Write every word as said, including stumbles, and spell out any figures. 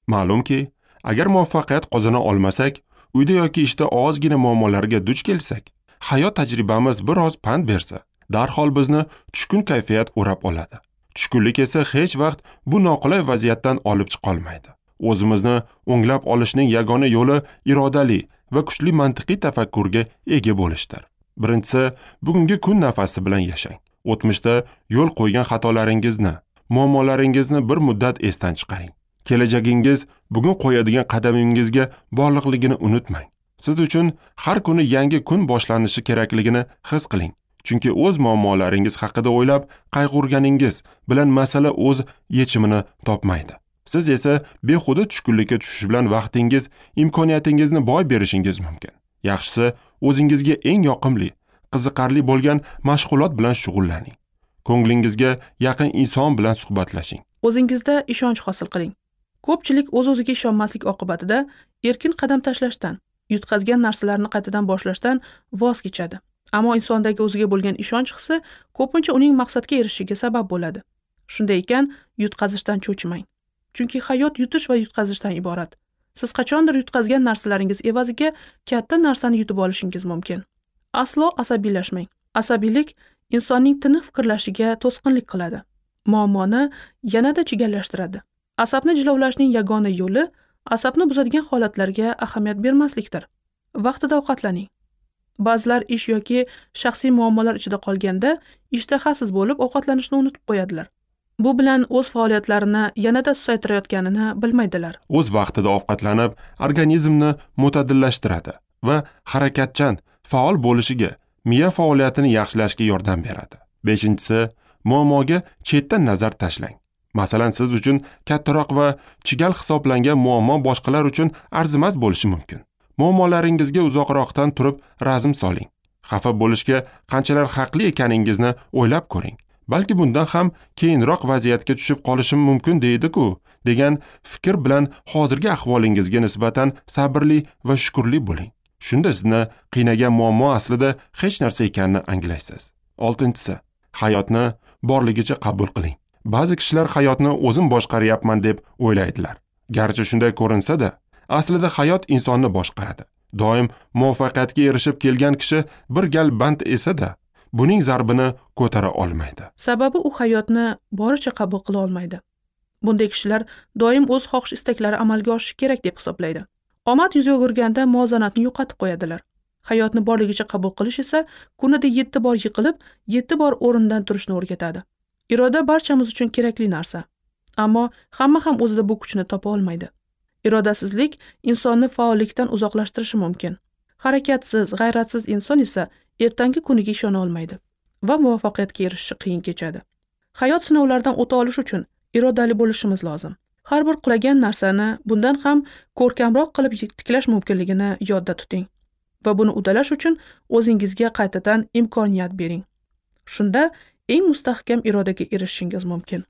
Ma'lumki, agar muvaffaqiyat qozona olmasak, uyda yoki ishda ozgina muammolarga duch kelsak, hayot tajribamiz biroz pand bersa, darhol bizni tushkun kayfiyat o'rab oladi. Tushkunlik esa hech vaqt bu noqulay vaziyatdan olib chiqa olmaydi. O'zimizni o'nglab olishning yagona yo'li irodali va kuchli mantiqiy tafakkurga ega bo'lishdir. Birinchisi, bugungi kun nafasi bilan yashang. O'tmishda yo'l qo'ygan xatolaringizni, muammolaringizni bir muddat esdan chiqaring. Kelajagingiz bugun qo'yadigan qadamingizga bog'liqligini unutmang. Siz uchun har kuni yangi kun boshlanishi kerakligini his qiling. Chunki o'z muammolaringiz haqida o'ylab qayg'urganingiz bilan masala o'z yechimini topmaydi. Siz esa behuda tushkunlikka tushish bilan vaqtingiz, imkoniyatingizni boy berishingiz mumkin. Yaxshisi, o'zingizga eng yoqimli, qiziqarli bo'lgan mashg'ulot bilan shug'ullaning. Ko'nglingizga yaqin inson bilan suhbatlashing. O'zingizda ishonch hosil qiling. Ko'pchilik o'z-o'ziga ishonmaslik oqibatida erkin qadam tashlashdan, yutqazgan narsalarni qaytadan boshlashdan voz kechadi. Ammo insondagi o'ziga bo'lgan ishonch hissi ko'pincha uning maqsadga erishishiga sabab bo'ladi. Shunday ekan, yutqazishdan cho'chimang. Chunki hayot yutish va yutqazishdan iborat. Siz qachondir yutqazgan narsalaringiz evaziga katta narsani yutib olishingiz mumkin. Aslo asabiylashmang. Asabiylik insonning tiniq fikrlashiga to'sqinlik qiladi. Muammoni yanada chigallashtiradi. Asabni jilovlashning yagona yo'li asabni buzadigan holatlarga ahamiyat bermaslikdir. Vaqtida ovqatlaning. Ba'zilar ish yoki shaxsiy muammolar ichida qolganda ishtahasiz bo'lib ovqatlanishni unutib qo'yadilar. Bu bilan o'z faoliyatlarini yanada susaytirayotganini bilmaydilar. O'z vaqtida ovqatlanib, organizmni mo'tadillashtiradi va harakatchan, faol bo'lishiga, miya faoliyatini yaxshilashga yordam beradi. Beshinchisi, muammoga chetdan nazar tashlang. Masalan, siz uchun kattaroq va chigal hisoblangan muammo boshqalar uchun arzimas bo'lishi mumkin. Muammolaringizga uzoqroqdan turib razm soling. Xafa bo'lishga qanchalar haqli ekaningizni o'ylab ko'ring. Balki bundan ham keyinroq vaziyatga tushib qolishim mumkin deydi-ku, degan fikr bilan hozirgi ahvolingizga nisbatan sabrli va shukrli bo'ling. Shunda sizni qiynagan muammo aslida hech narsa ekanini anglaysiz. Oltinchisi, hayotni borligicha qabul qiling. Ba'zi kishilar hayotni o'zim boshqaryapman deb o'ylaydilar. Garchi shunday ko'rinsa-da, aslida hayot insonni boshqaradi. Doim muvaffaqiyatga erishib kelgan kishi bir gal band esa-da, buning zarbini ko'tara olmaydi. Sababi u hayotni boricha qabul qila olmaydi. Bunday kishilar doim o'z xohish istaklari amalga oshishi kerak deb hisoblaydi. Omad yuz o'girganda muvozanatni yo'qotib qo'yadilar. Hayotni borligicha qabul qilish esa kunida yetti bor yiqilib, yetti bor o'rnidan turishni o'rgatadi. Iroda barchamiz uchun kerakli narsa. Ammo hamma ham o'zida bu kuchni topa olmaydi. Irodasizlik insonni faollikdan uzoqlashtirishi mumkin. Harakatsiz, g'ayratsiz inson esa ertangi kuniga ishona olmaydi va muvaffaqiyatga erishishi qiyin kechadi. Hayot sinovlaridan o'ta olish uchun irodali bo'lishimiz lozim. Har bir qulagan narsani bundan ham ko'rkamroq qilib tiklash mumkinligini yodda tuting va buni udalash uchun o'zingizga qaytadan imkoniyat bering. Shunda eng mustahkam irodaga erishishingiz mumkin.